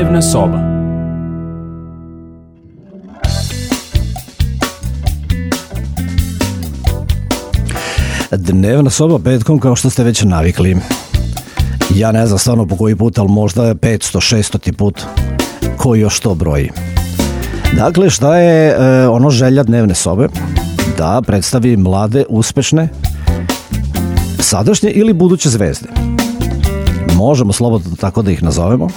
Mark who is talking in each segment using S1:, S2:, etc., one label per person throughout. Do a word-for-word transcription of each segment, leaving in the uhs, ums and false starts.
S1: Dnevna soba.
S2: Dnevna soba petkom, kao što ste već navikli. Ja ne znam stvarno po koji put, ali možda petsto šesto put. Ko još to broji? Dakle, šta je e, ono želja dnevne sobe? Da predstavi mlade, uspešne, sadašnje ili buduće zvezde. Možemo slobodno tako da ih nazovemo.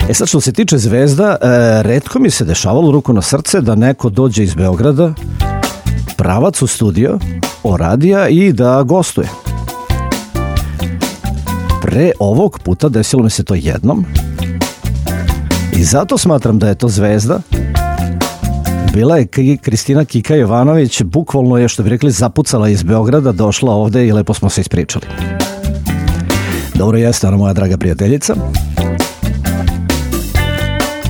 S2: E sad, što se tiče zvezda, e, retko mi se dešavalo, ruku na srce, da neko dođe iz Beograda, pravac u studio, oradija i da gostuje. Pre ovog puta desilo mi se to jednom i zato smatram da je to zvezda. Bila je Kristina Kika Jovanović, bukvalno je, što bi rekli, zapucala iz Beograda, došla ovde i lepo smo se ispričali. Dobro, jeste ona moja draga prijateljica.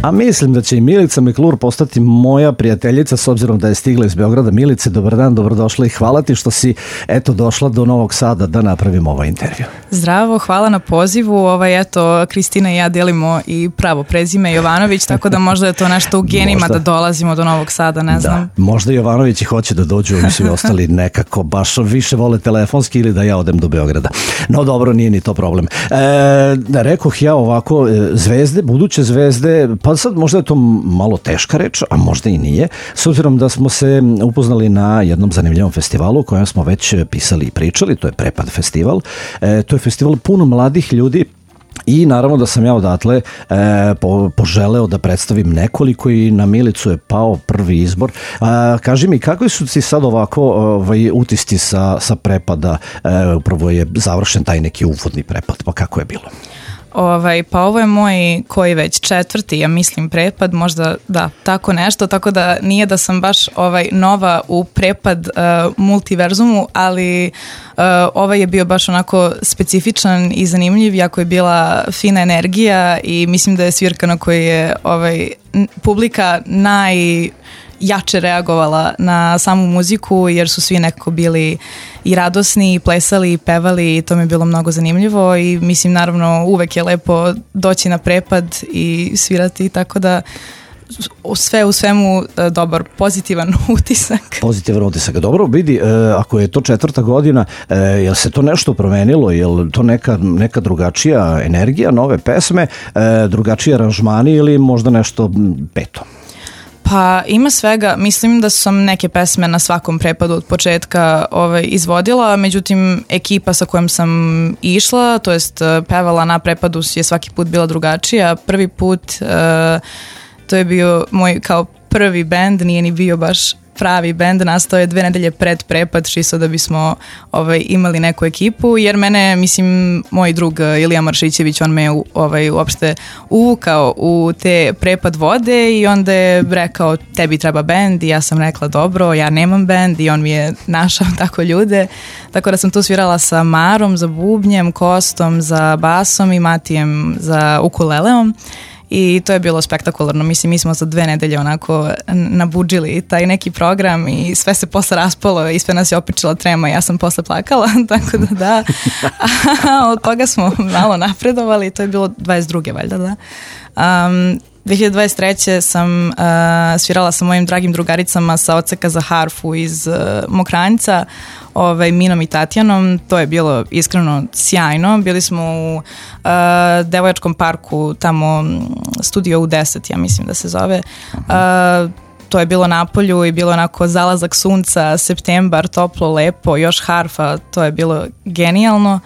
S2: A mislim da će i Milica Meklur postati moja prijateljica, s obzirom da je stigla iz Beograda. Milice, dobar dan, dobrodošla i hvala ti što si eto došla do Novog Sada da napravimo ovaj intervju.
S3: Zdravo, hvala na pozivu. Ovaj, eto, Kristina i ja delimo i pravo prezime Jovanović, tako da možda je to nešto u genima možda, da dolazimo do Novog Sada, ne znam.
S2: Da, možda Jovanović i hoće da dođu i svi ostali nekako baš više vole telefonski ili da ja odem do Beograda. No dobro, nije ni to problem. E, da rekoh ja ovako, zvezde, buduće zvezde, pa sad možda je to malo teška reč, a možda i nije, s obzirom da smo se upoznali na jednom zanimljivom festivalu o kojem smo već pisali i pričali, to je Prepad festival. E, to je festival puno mladih ljudi i naravno da sam ja odatle e, po, poželeo da predstavim nekoliko i na Milicu je pao prvi izbor. A, kaži mi, kakvi su ti sad ovako ovaj, utisci sa, sa Prepada? E, upravo je završen taj neki uvodni prepad, pa kako je bilo?
S3: Ovaj, pa ovo je moj koji već četvrti, ja mislim, prepad, možda da, tako nešto, tako da nije da sam baš ovaj nova u prepad uh, multiverzumu, ali uh, ovaj je bio baš onako specifičan i zanimljiv, jako je bila fina energija i mislim da je svirka na kojoj je ovaj, publika naj... jače reagovala na samu muziku, jer su svi nekako bili i radosni, i plesali, i pevali i to mi je bilo mnogo zanimljivo i mislim naravno uvek je lepo doći na prepad i svirati, tako da sve u svemu dobar, pozitivan utisak.
S2: Pozitivan utisak. Dobro, vidi, ako je to četvrta godina, je li se to nešto promenilo? Je li to neka, neka drugačija energija, nove pesme, drugačiji aranžmani ili možda nešto peto?
S3: Pa ima svega, mislim da sam neke pesme na svakom prepadu od početka ovaj, izvodila, međutim ekipa sa kojom sam išla, to jest pevala na prepadu je svaki put bila drugačija. Prvi put uh, to je bio moj kao prvi bend, nije ni bio baš pravi bend, nastao je dve nedelje pred prepad, čisto da bismo ovaj, imali neku ekipu, jer mene, mislim, moj drug Ilija Maršićević, on me ovaj, uopšte uvukao u te prepad vode i onda je rekao, tebi treba bend i ja sam rekla, dobro, ja nemam bend i on mi je našao tako ljude, tako da sam tu svirala sa Marom za bubnjem, Kostom za basom i Matijem za ukuleleom. I to je bilo spektakularno, mislim, mi smo za dve nedelje onako nabudžili taj neki program i sve se posle raspalo i sve nas je opičila trema i ja sam posle plakala, tako da da, a od toga smo malo napredovali, to je bilo dvadeset druge valjda, da. Um, dve hiljade dvadeset treće sam uh, svirala sa mojim dragim drugaricama sa odseka za harfu iz uh, Mokranjca, ovaj, Minom i Tatjanom, to je bilo iskreno sjajno, bili smo u uh, Devojačkom parku, tamo studio U deset, ja mislim da se zove, uh, to je bilo na polju i bilo onako zalazak sunca, septembar, toplo, lepo, još harfa, to je bilo genijalno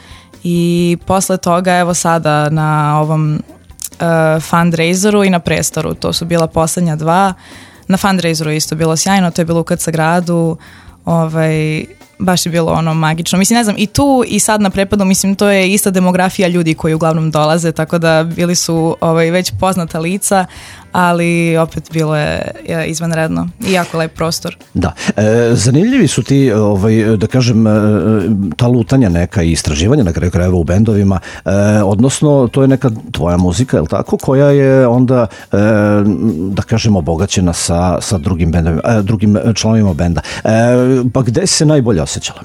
S3: i posle toga evo sada na ovom Uh, fundraiseru i na Prestoru, to su bila poslednja dva. Na fundraiseru je isto bilo sjajno, to je bilo u K C gradu, ovaj, baš je bilo ono magično. Mislim, ne znam, i tu i sad na prepadu, mislim, to je ista demografija ljudi koji uglavnom dolaze, tako da bili su ovaj, već poznata lica, ali opet bilo je izvanredno i jako lep prostor.
S2: Da, e, zanimljivi su ti, ovaj, da kažem, ta lutanja neka i istraživanja na kraju krajeva u bendovima, e, odnosno to je neka tvoja muzika, je li tako, koja je onda, e, da kažem, obogaćena sa, sa drugim, bendovima, e, drugim članovima benda. E, pa gde si se najbolje osjećala?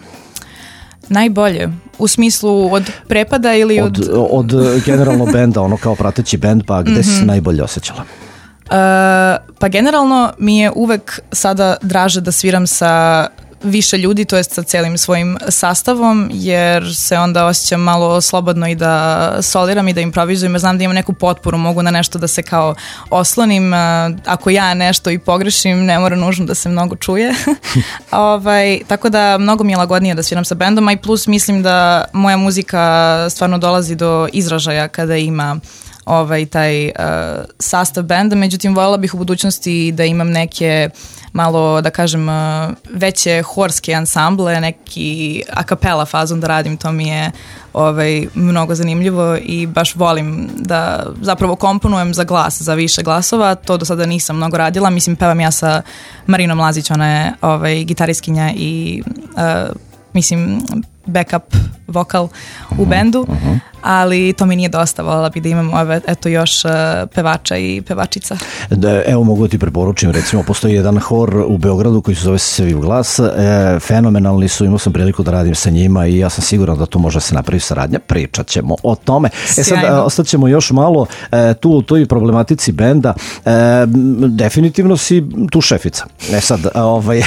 S3: Najbolje? U smislu od prepada ili od...
S2: Od, od generalno benda, ono kao prateći bend, pa gde mm-hmm. si se najbolje osjećala?
S3: Uh, pa generalno mi je uvek sada draže da sviram sa više ljudi, to jest sa celim svojim sastavom, jer se onda osjećam malo slobodno i da soliram i da improvizujem, jer znam da imam neku potporu, mogu na nešto da se kao oslonim, ako ja nešto i pogrešim, ne mora nužno da se mnogo čuje. ovaj, tako da mnogo mi je lagodnije da sviram sa bendom, a i plus mislim da moja muzika stvarno dolazi do izražaja kada ima ovaj, taj uh, sastav benda, međutim voljela bih u budućnosti da imam neke malo, da kažem, veće horske ansamble, neki a cappella fazon da radim, to mi je ovaj, mnogo zanimljivo i baš volim da zapravo komponujem za glas, za više glasova, to do sada nisam mnogo radila, mislim pevam ja sa Marinom Lazić, ona je ovaj, gitariskinja i uh, mislim backup vokal u bendu, uh-huh. ali to mi nije dosta, voljela bih da imam ove, eto još uh, pevača i pevačica.
S2: Da, evo mogu ti preporučim, recimo postoji jedan hor u Beogradu koji se zove Seviv glas, e, fenomenalni su, imao sam priliku da radim sa njima i ja sam siguran da tu može se napravi saradnja, pričat ćemo o tome. E sad, e, ostaćemo još malo e, tu u toj problematici benda, e, definitivno si tu šefica. E sad, ovaj,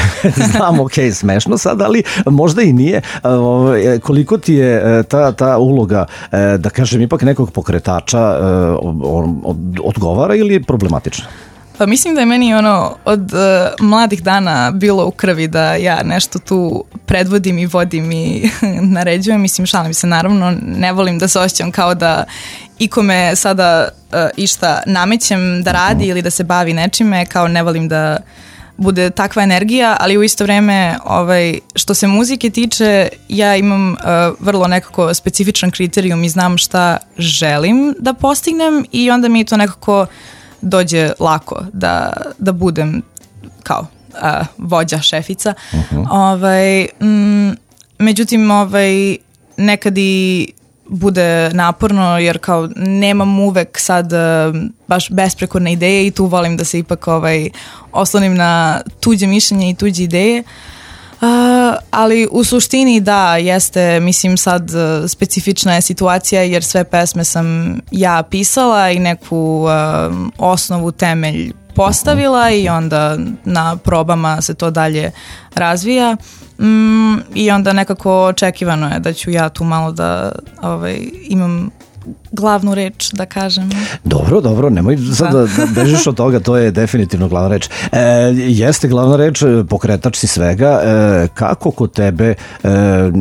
S2: znam, ok, smešno sad, ali možda i nije. Ovaj, koliko ti je ta, ta uloga, da kažem, ipak nekog pokretača odgovara ili je problematična?
S3: Pa mislim da je meni ono od uh, mladih dana bilo u krvi da ja nešto tu predvodim i vodim i naređujem. Mislim, šalim se, naravno, ne volim da se osjećam kao da ikome sada uh, išta namećem da radi ili da se bavi nečime, kao ne volim da bude takva energija, ali u isto vreme ovaj, što se muzike tiče, ja imam uh, vrlo nekako specifičan kriterijum i znam šta želim da postignem i onda mi to nekako dođe lako da, da budem kao uh, vođa, šefica. Uh-huh. Ovaj, m, međutim, ovaj, nekad i bude naporno jer kao nemam uvek sad uh, baš besprekorne ideje i tu volim da se ipak ovaj, oslonim na tuđe mišljenje i tuđe ideje. Uh, ali u suštini da, jeste, mislim sad uh, specifična je situacija jer sve pesme sam ja pisala i neku uh, osnovu, temelj postavila i onda na probama se to dalje razvija. Mm, i onda nekako očekivano je da ću ja tu malo da ovaj, imam glavnu reč, da kažem.
S2: Dobro, dobro, nemoj sad da, da bežiš od toga, to je definitivno glavna reč. E, jeste glavna reč, pokretač si svega. E, kako kod tebe e,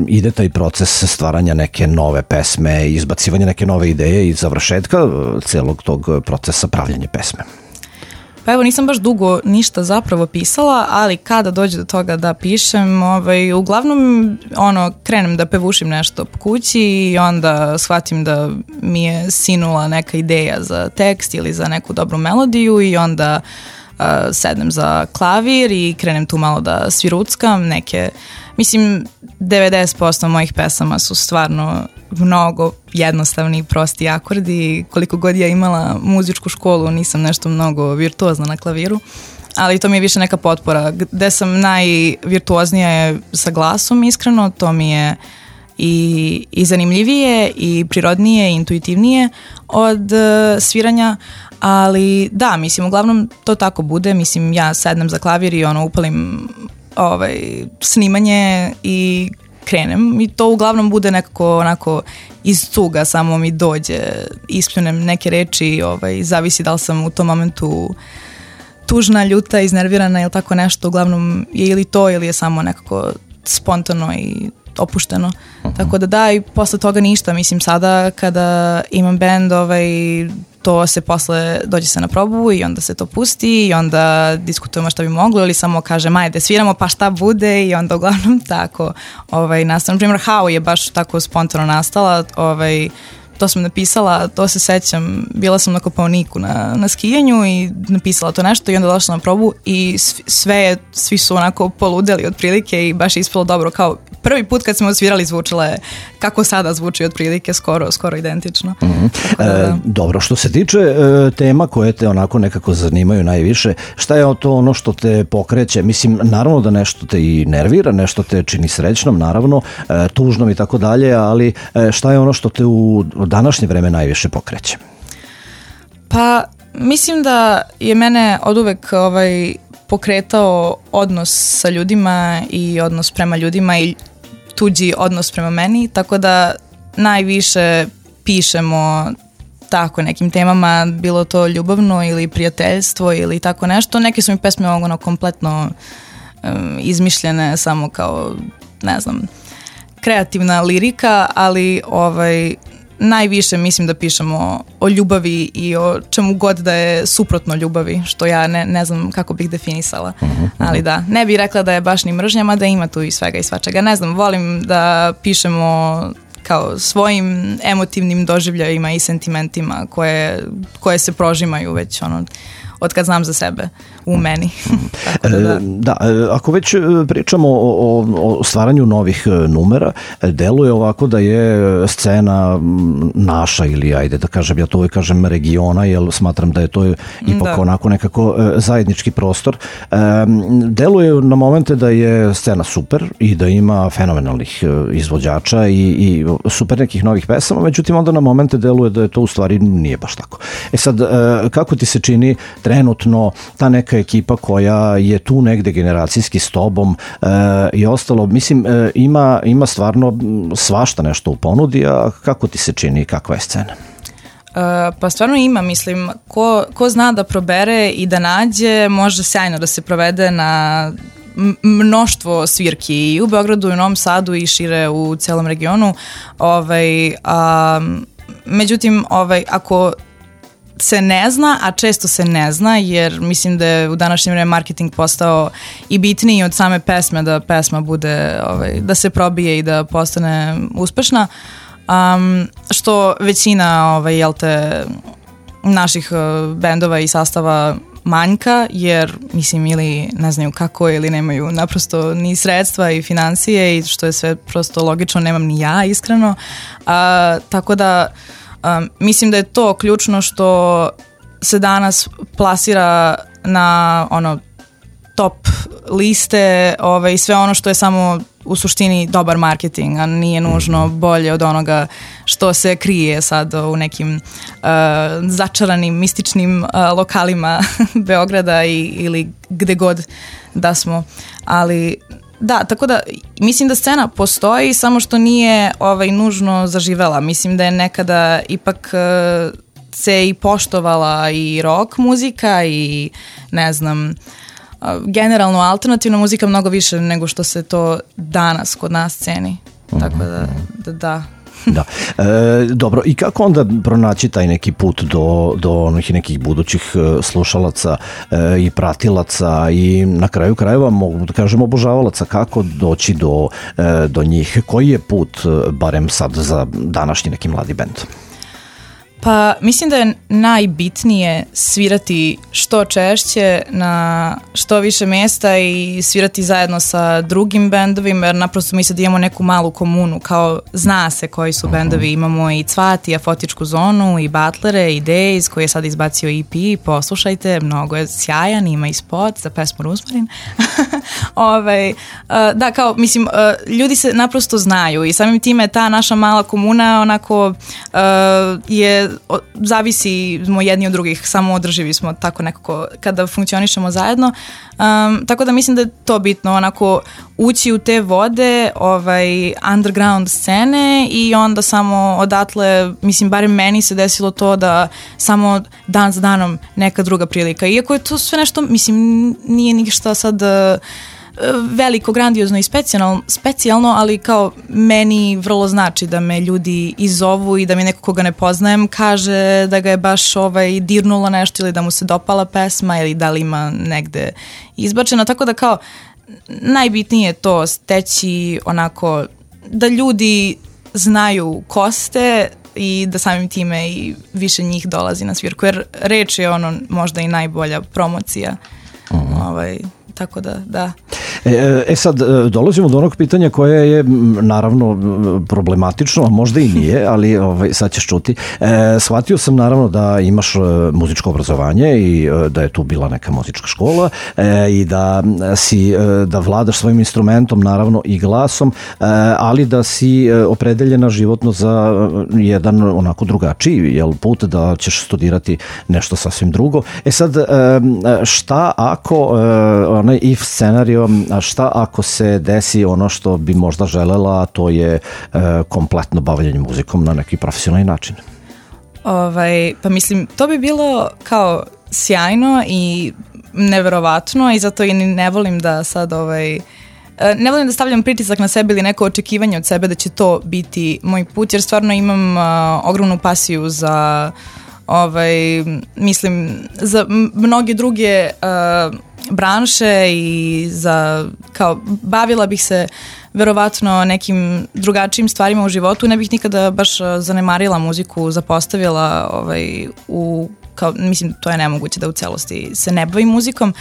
S2: ide taj proces stvaranja neke nove pesme, izbacivanja neke nove ideje i završetka celog tog procesa pravljanja pesme?
S3: Pa evo, nisam baš dugo ništa zapravo pisala, ali kada dođe do toga da pišem, ovaj, uglavnom ono, krenem da pevušim nešto po kući i onda shvatim da mi je sinula neka ideja za tekst ili za neku dobru melodiju i onda uh, sednem za klavir i krenem tu malo da sviruckam neke. Mislim, devedeset posto mojih pesama su stvarno mnogo jednostavni i prosti akordi. Koliko god ja imala muzičku školu, nisam nešto mnogo virtuozna na klaviru, ali to mi je više neka potpora. Gde sam najvirtuoznija je sa glasom, iskreno, to mi je i, i zanimljivije i prirodnije i intuitivnije od uh, sviranja, ali da, mislim, uglavnom to tako bude. Mislim, ja sednem za klavir i ono, upalim ovaj, snimanje i krenem i to uglavnom bude nekako onako iz cuga, samo mi dođe, ispljunem neke reči, ovaj, zavisi da li sam u tom momentu tužna, ljuta, iznervirana ili tako nešto, uglavnom je ili to ili je samo nekako spontano i opušteno. Uh-huh. Tako da da, i posle toga ništa, mislim sada kada imam band, ovaj, to se posle dođe se na probu i onda se to pusti i onda diskutujemo šta bi moglo ili samo kažem ajde sviramo pa šta bude i onda uglavnom tako ovaj, nastavno. Na primjer How je baš tako spontano nastala, ovaj, to sam napisala, to se sećam, bila sam na Kopaoniku na, na skijanju i napisala to nešto i onda došla na probu i sve, svi su onako poludeli otprilike i baš je ispalo dobro, kao prvi put kad smo svirali zvučila je kako sada zvuči otprilike, skoro, skoro identično.
S2: Mm-hmm.
S3: Da, da.
S2: E, dobro, što se tiče e, tema koje te onako nekako zanimaju najviše, šta je to ono što te pokreće? Mislim, naravno da nešto te i nervira, nešto te čini srećnom, naravno, e, tužnom i tako dalje, ali e, šta je ono što te u današnje vreme najviše pokreće?
S3: Pa, mislim da je mene oduvek ovaj, pokretao odnos sa ljudima i odnos prema ljudima i tuđi odnos prema meni, tako da najviše pišemo tako nekim temama, bilo to ljubavno ili prijateljstvo ili tako nešto. Neke su mi pesme ono kompletno um, izmišljene samo kao, ne znam, kreativna lirika, ali ovaj, najviše mislim da pišemo o ljubavi i o čemu god da je suprotno ljubavi, što ja ne, ne znam kako bih definisala. Uh-huh. Ali da, ne bih rekla da je baš ni mržnjama, da ima tu i svega i svačega. Ne znam, volim da pišemo kao svojim emotivnim doživljajima i sentimentima koje, koje se prožimaju već ono, od kad znam za sebe u meni. Tako da, da.
S2: Da, ako već pričamo o, o stvaranju novih numera, deluje ovako da je scena naša ili ajde da kažem, ja to uvijek kažem regiona, jer smatram da je to ipak da. onako nekako zajednički prostor. Deluje na momente da je scena super i da ima fenomenalnih izvođača i, i super nekih novih pesama, međutim onda na momente deluje da je to u stvari nije baš tako. E sad, kako ti se čini trenutno ta neka ekipa koja je tu negde generacijski s tobom e, i ostalo, mislim, e, ima, ima stvarno svašta nešto u ponudi, a kako ti se čini, kakva je scena?
S3: Uh, pa stvarno ima, mislim, ko, ko zna da probere i da nađe, može sjajno da se provede na mnoštvo svirki i u Beogradu i u Novom Sadu i šire u celom regionu. Ovaj, a, međutim, ovaj, ako se ne zna, a često se ne zna, jer mislim da je u današnjem vreme marketing postao i bitniji od same pesme, da pesma bude, ovaj, da se probije i da postane uspešna, um, što većina ovaj, jel te, naših uh, bendova i sastava manjka, jer mislim ili ne znaju kako ili nemaju naprosto ni sredstva i financije i što je sve prosto logično, nemam ni ja iskreno, uh, tako da Um, mislim da je to ključno što se danas plasira na ono top liste, ovaj, sve ono što je samo u suštini dobar marketing, a nije nužno bolje od onoga što se krije sad u nekim uh, začaranim, mističnim uh, lokalima Beograda i, ili gde god da smo, ali da, tako da mislim da scena postoji, samo što nije ovaj, nužno zaživela. Mislim da je nekada ipak uh, se i poštovala i rock muzika i ne znam, uh, generalno alternativna muzika mnogo više nego što se to danas kod nas ceni. Tako da, da, da.
S2: Da. E, dobro, i kako onda pronaći taj neki put do, do onih nekih budućih slušalaca e, i pratilaca i na kraju krajeva, mogu da kažem, obožavalaca, kako doći do, e, do njih? Koji je put, barem sad za današnji neki mladi bend?
S3: Pa mislim da je najbitnije svirati što češće na što više mjesta i svirati zajedno sa drugim bendovima, jer naprosto mi sad imamo neku malu komunu, kao zna se koji su bendovi, imamo i Cvat i Afotičku zonu i Butlere i Days koji je sad izbacio E P, poslušajte, mnogo je sjajan, ima i spot za pesmu Ruzmarin. Ove, da, kao mislim, ljudi se naprosto znaju i samim time ta naša mala komuna onako je zavisimo jedni od drugih, samo održivi smo tako nekako kada funkcionišemo zajedno, um, tako da mislim da je to bitno, onako ući u te vode ovaj, underground scene i onda samo odatle, mislim, barem meni se desilo to da samo dan za danom neka druga prilika, iako je to sve nešto, mislim, nije ništa sad veliko, grandiozno i specijalno, specijalno, ali kao meni vrlo znači da me ljudi izovu i da mi neko koga ne poznajem kaže da ga je baš ovaj, dirnulo nešto ili da mu se dopala pesma ili da li ima negde izbačena, tako da kao najbitnije je to steći onako da ljudi znaju ko ste i da samim time i više njih dolazi na svirku, jer reč je ono možda i najbolja promocija. Uh-huh. Ovaj, tako da, da.
S2: E, e sad, dolazimo do onog pitanja koje je naravno problematično, a možda i nije, ali ovaj, sad ćeš čuti. E, shvatio sam naravno da imaš muzičko obrazovanje i da je tu bila neka muzička škola e, i da si, da vladaš svojim instrumentom, naravno i glasom, e, ali da si opredeljena životno za jedan onako drugačiji jel, put, da ćeš studirati nešto sasvim drugo. E sad, šta ako, onaj if scenario, šta ako se desi ono što bi možda želela, a to je kompletno bavljenje muzikom na neki profesionalni način?
S3: Ovaj, pa mislim, to bi bilo kao sjajno i neverovatno i zato i ne volim da sad ovaj, ne volim da stavljam pritisak na sebe ili neko očekivanje od sebe da će to biti moj put, jer stvarno imam uh, ogromnu pasiju za ovaj, mislim, za mnoge druge uh, branše i za, kao, bavila bih se verovatno nekim drugačijim stvarima u životu, ne bih nikada baš zanemarila muziku, zapostavila ovaj, u, kao, mislim, to je nemoguće da u celosti se ne bavim muzikom,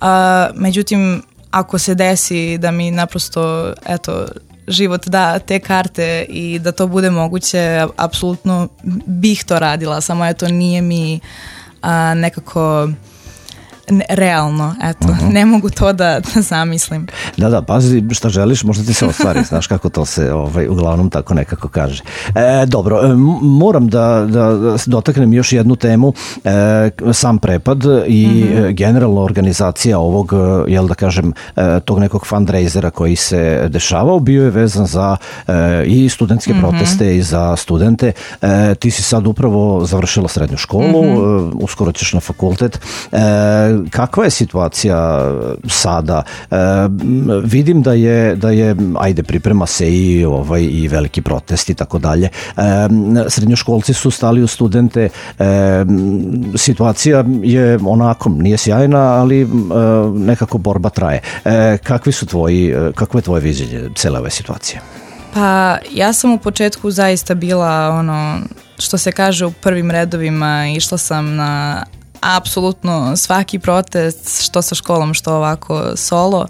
S3: uh, međutim, ako se desi da mi naprosto, eto, život da te karte i da to bude moguće, apsolutno bih to radila, samo eto nije mi a, nekako ne, realno, eto, uh-huh. ne mogu to da, da zamislim.
S2: Da, da, pazi šta želiš, možda ti se ostvari, znaš kako to se ovaj, uglavnom tako nekako kaže. E, dobro, e, moram da, da dotaknem još jednu temu, e, sam prepad i uh-huh. generalna organizacija ovog, jel da kažem, e, tog nekog fundraisera koji se dešavao, bio je vezan za e, i studentske uh-huh. proteste i za studente. E, ti si sad upravo završila srednju školu, uh-huh. e, uskoro ćeš na fakultet. E, kakva je situacija sada? E, vidim da je, da je, ajde, priprema se i, ovaj, i veliki protest i tako dalje. E, srednjoškolci su stali u studente. E, situacija je onako, nije sjajna, ali e, nekako borba traje. E, kakvi su tvoji, kakvo je tvoje viđenje cele ove situacije?
S3: Pa ja sam u početku zaista bila ono, što se kaže, u prvim redovima, išla sam na apsolutno svaki protest, što sa školom, što ovako solo,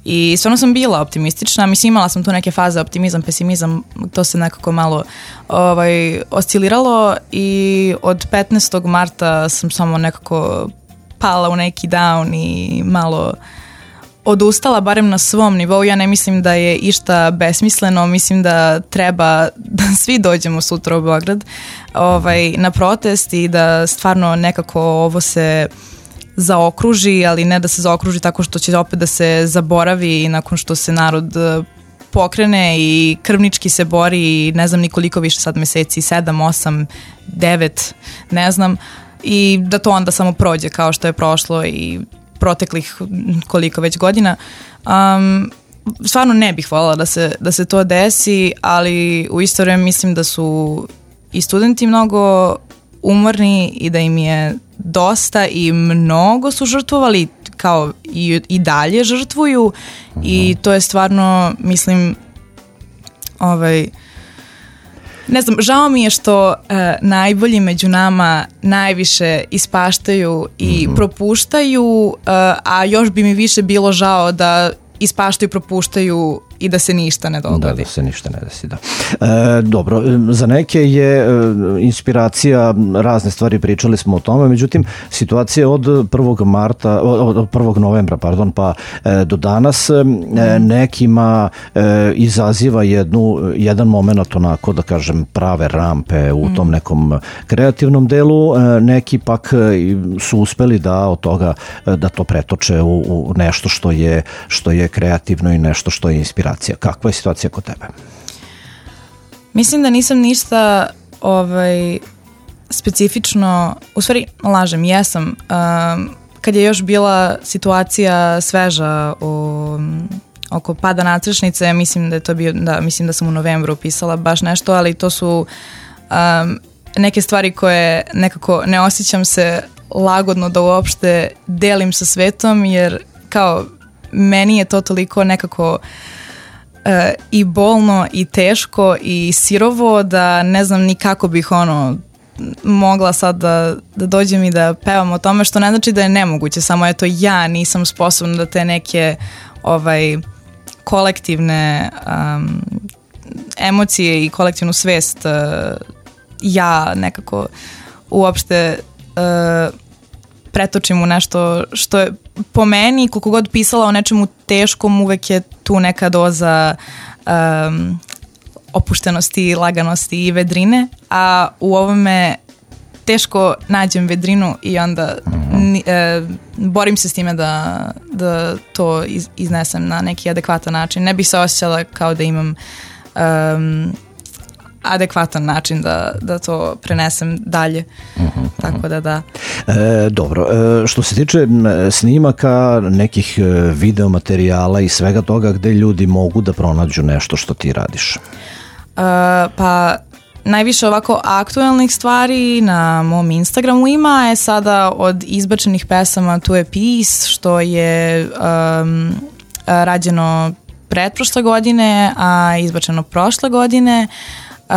S3: i stvarno sam bila optimistična, mislim imala sam tu neke faze, optimizam, pesimizam, to se nekako malo ovaj, osciliralo i od petnaestog marta sam samo nekako pala u neki down i malo odustala, barem na svom nivou. Ja ne mislim da je išta besmisleno, mislim da treba da svi dođemo sutra u Beograd ovaj, na protest i da stvarno nekako ovo se zaokruži, ali ne da se zaokruži tako što će opet da se zaboravi i nakon što se narod pokrene i krvnički se bori i ne znam nikoliko više sad meseci, sedam, osam, devet, ne znam, i da to onda samo prođe kao što je prošlo i proteklih koliko već godina. Um, stvarno ne bih voljela da se, da se to desi, ali u isto vreme mislim da su i studenti mnogo umorni i da im je dosta i mnogo su žrtvovali, kao i, i dalje žrtvuju, uh-huh. i to je stvarno, mislim, ovaj, ne znam, žao mi je što uh, najbolji među nama najviše ispaštaju i mm-hmm. propuštaju, uh, a još bi mi više bilo žao da ispaštaju, propuštaju i da se ništa ne dogodi.
S2: Da, da se ništa ne desi, da. E, dobro, za neke je e, inspiracija razne stvari, pričali smo o tome, međutim, situacija od prvog marta, od prvog novembra, pardon, pa e, do danas e, nekima e, izaziva jednu, jedan moment onako, da kažem, prave rampe u tom nekom kreativnom delu, e, neki pak su uspeli da od toga, da to pretoče u, u nešto što je, što je kreativno i nešto što je inspiracija. Kakva je situacija kod tebe?
S3: Mislim da nisam ništa ovaj, specifično, u stvari lažem, jesam. Um, kad je još bila situacija sveža u, oko pada nadstrešnice, mislim da je to bio, da, mislim da sam u novembru pisala baš nešto, ali to su um, neke stvari koje nekako ne osjećam se lagodno da uopšte delim sa svetom, jer kao meni je to toliko nekako uh, i bolno i teško i sirovo da ne znam ni kako bih ono mogla sad da, da dođem i da pevam o tome, što ne znači da je nemoguće, samo eto ja nisam sposobna da te neke ovaj, kolektivne um, emocije i kolektivnu svest uh, ja nekako uopšte uh, pretočim u nešto što je po meni, koliko god pisala o nečemu teškom, uvek je tu neka doza um, opuštenosti, laganosti i vedrine, a u ovome teško nađem vedrinu i onda ni, e, borim se s time da, da to iz, iznesem na neki adekvatan način. Ne bih se osjećala kao da imam um, adekvatan način da, da to prenesem dalje. Uh-huh, Tako da da.
S2: E, dobro, e, što se tiče snimaka, nekih video materijala i svega toga, gde ljudi mogu da pronađu nešto što ti radiš? E,
S3: pa najviše ovako aktuelnih stvari na mom Instagramu ima je sada od izbačenih pesama Tu je Peace, što je um, rađeno pretprošle godine, a izbačeno prošle godine. Uh,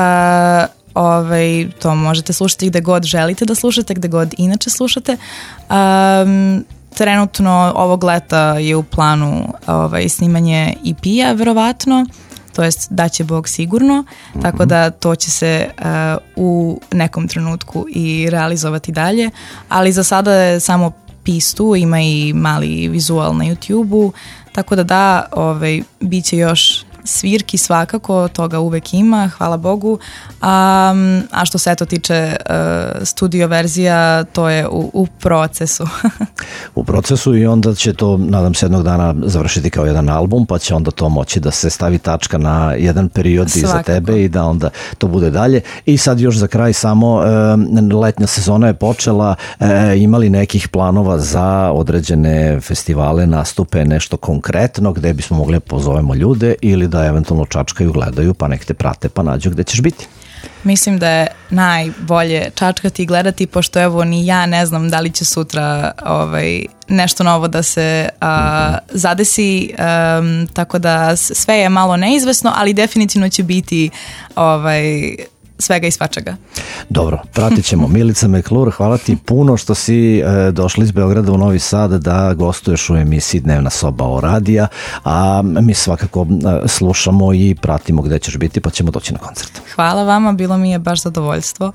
S3: ovaj, to možete slušati gde god želite da slušate, gde god inače slušate. Um, trenutno ovog leta je u planu ovaj, snimanje E P-a verovatno, to jest da će Bog sigurno, mm-hmm. tako da to će se uh, u nekom trenutku i realizovati dalje, ali za sada je samo pistu, ima i mali vizual na YouTube-u, tako da da, ovaj, bit će još svirki svakako, toga uvek ima, hvala Bogu, a, a što se eto tiče uh, studio verzija, to je u, u procesu.
S2: U procesu i onda će to, nadam se, jednog dana završiti kao jedan album, pa će onda to moći da se stavi tačka na jedan period iza tebe i da onda to bude dalje. I sad još za kraj samo, e, letnja sezona je počela, e, imali nekih planova za određene festivale, nastupe, nešto konkretno gde bismo mogli pozovemo ljude ili da eventualno čačkaju, gledaju, pa nek te prate, pa nađu gde ćeš biti?
S3: Mislim da je najbolje čačkati i gledati, pošto evo ni ja ne znam da li će sutra ovaj, nešto novo da se a, mm-hmm. zadesi, um, tako da sve je malo neizvesno, ali definitivno će biti ovaj, svega i svačega.
S2: Dobro, pratit ćemo. Milica McClure, hvala ti puno što si e, došla iz Beograda u Novi Sad da gostuješ u emisiji Dnevna soba o radija, a mi svakako e, slušamo i pratimo gde ćeš biti, pa ćemo doći na koncert.
S3: Hvala vama, bilo mi je baš zadovoljstvo.